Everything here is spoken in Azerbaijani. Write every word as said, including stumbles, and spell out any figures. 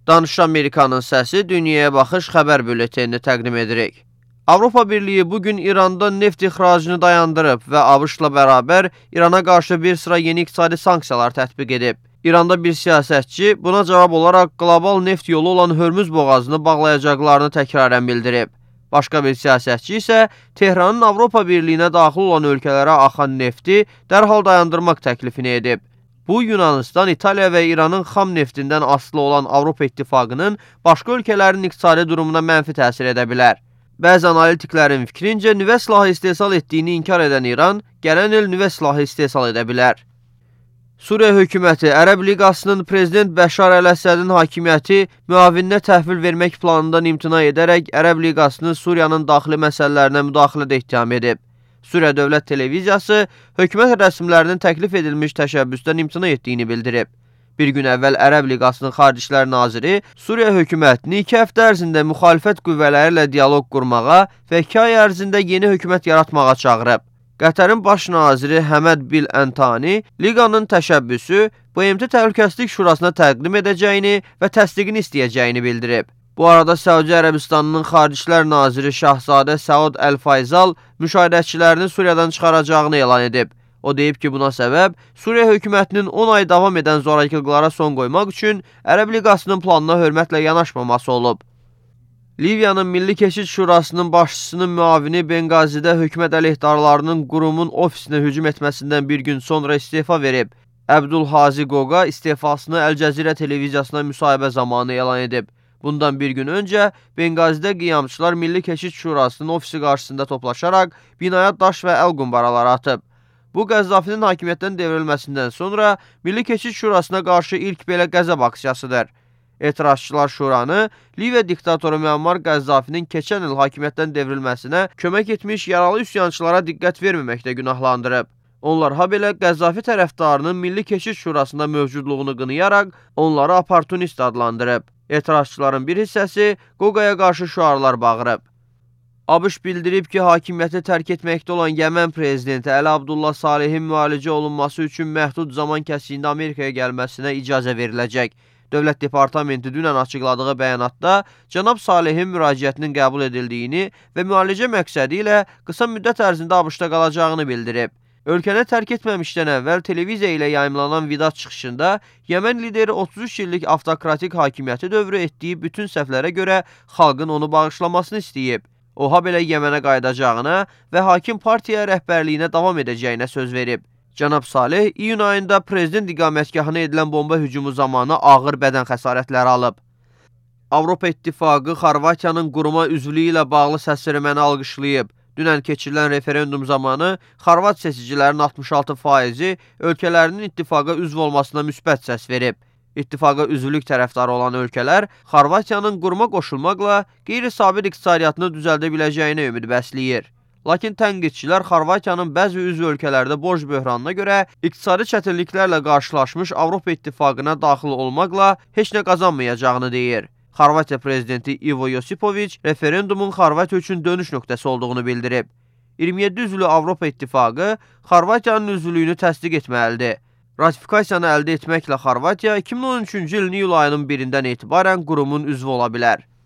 Danış Amerikanın səsi Dünyaya Baxış xəbər bülletenini təqdim edirik. Avropa Birliyi bugün İranda neft ixracını dayandırıb və ABŞ-la bərabər İrana qarşı bir sıra yeni iqtisadi sanksiyalar tətbiq edib. İranda bir siyasətçi buna cavab olaraq qlobal neft yolu olan Hörmüz boğazını bağlayacaqlarını təkrarən bildirib. Başqa bir siyasətçi isə Tehranın Avropa Birliyinə daxil olan ölkələrə axan nefti dərhal dayandırmaq təklifini edib. Bu, Yunanistan, İtaliya və İranın xam neftindən asılı olan Avropa İttifaqının başqa ölkələrin iqtisadi durumuna mənfi təsir edə bilər. Bəzi analitiklərin fikrincə, nüvə silahı istehsal etdiyini inkar edən İran, gələn il nüvə silahı istehsal edə bilər. Suriya hökuməti Ərəb Liqasının Prezident Bəşar Əl-Əsədin hakimiyyəti müavininə təhvil vermək planından imtina edərək Ərəb Liqasını Suriyanın daxili məsələlərinə müdaxilədə ittiham edib. Suriya Dövlət Televiziyası hökumət rəsmilərinin təklif edilmiş təşəbbüsdən imtina etdiyini bildirib. Bir gün əvvəl Ərəb Liqasının Xarici İşlər Naziri Suriya hökumətini iki həftə ərzində müxalifət qüvvələri ilə dialoq qurmağa və iki ay ərzində yeni hökumət yaratmağa çağırıb. Qətərin baş naziri Həməd Bil Əntani Liqanın təşəbbüsü B M T Təhlükəsizlik Şurasına təqdim edəcəyini və təsdiqini istəyəcəyini bildirib. Bu arada Səudiyyə Ərəbistanının Xarici İşlər Naziri Şahzadə Səud Əl-Fayzal müşahidəçilərini Suriyadan çıxaracağını elan edib. O deyib ki, buna səbəb Suriya hökumətinin on ay davam edən zorakılıqlara son qoymaq üçün Ərəb Liqasının planına hörmətlə yanaşmaması olub. Liviyanın Milli Keşid Şurasının başçısının müavini Benqazidə hökumət əleyhdarlarının qurumun ofisinə hücum etməsindən bir gün sonra istefa verib. Əbdülhazi Qoqa istefasını Əl-Cəzirə televiziyasına müsahibə zamanı elan edib. Bundan bir gün öncə Benqazidə qiyamçılar Milli Keşid Şurasının ofisi qarşısında toplaşaraq binaya daş və əl qumbaraları atıb. Bu, Qəzzafinin hakimiyyətdən devrilməsindən sonra Milli Keşid Şurasına qarşı ilk belə qəzəb aksiyasıdır. Etirazçılar Şuranı Liviya diktatoru Müammar Qəzzafinin keçən il hakimiyyətdən devrilməsinə kömək etmiş yaralı üsyançılara diqqət verməməkdə günahlandırıb. Onlar ha belə Qəzzafi tərəfdarının Milli Keşid Şurasında mövcudluğunu qınayaraq onları oportunist adlandırıb. Etirazçıların bir hissəsi Qoqaya qarşı şüarlar bağırıb. ABŞ bildirib ki, hakimiyyəti tərk etməkdə olan Yəmən prezidenti Əli Abdullah Salehin müalicə olunması üçün məhdud zaman kəsiyində Amerikaya gəlməsinə icazə veriləcək. Dövlət Departamenti dünən açıqladığı bəyanatda cənab Salehin müraciətinin qəbul edildiyini və müalicə məqsədi ilə qısa müddət ərzində ABŞ-da qalacağını bildirib. Ölkəni tərk etməmişdən əvvəl televiziya ilə yayımlanan vida çıxışında Yəmən lideri otuz üç illik avtokratik hakimiyyəti dövrü etdiyi bütün səhvlərə görə xalqın onu bağışlamasını istəyib. O, ha belə Yəmənə qayıdacağına və hakim partiya rəhbərliyinə davam edəcəyinə söz verib. Cənab Saleh iyun ayında prezident iqamətgahına edilən bomba hücumu zamanı ağır bədən xəsarətləri alıb. Avropa İttifaqı Xorvatiyanın quruma üzvlüyü ilə bağlı səsverməni alqışlayıb. Dünən keçirilən referendum zamanı Xorvat seçicilərinin altmış altı faizi ölkələrinin ittifaqa üzv olmasına müsbət səs verib. İttifaqa üzvlük tərəfdarı olan ölkələr Xorvatiyanın quruma qoşulmaqla qeyri-sabit iqtisadiyyatını düzəldə biləcəyinə ümid bəsləyir. Lakin tənqidçilər Xorvatiyanın bəzi üzv ölkələrdə borc böhranına görə iqtisadi çətinliklərlə qarşılaşmış Avropa İttifaqına daxil olmaqla heç nə qazanmayacağını deyir. Xorvatiya prezidenti İvo Yosipoviç referendumun Xorvatiya üçün dönüş nöqtəsi olduğunu bildirib. iyirmi yeddi üzvlü Avropa İttifaqı Xorvatiyanın üzvlüyünü təsdiq etməlidir. Ratifikasiyanı əldə etməklə Xorvatiya iki min on üçüncü ilin iyul ayının birindən etibarən qurumun üzvü ola bilər.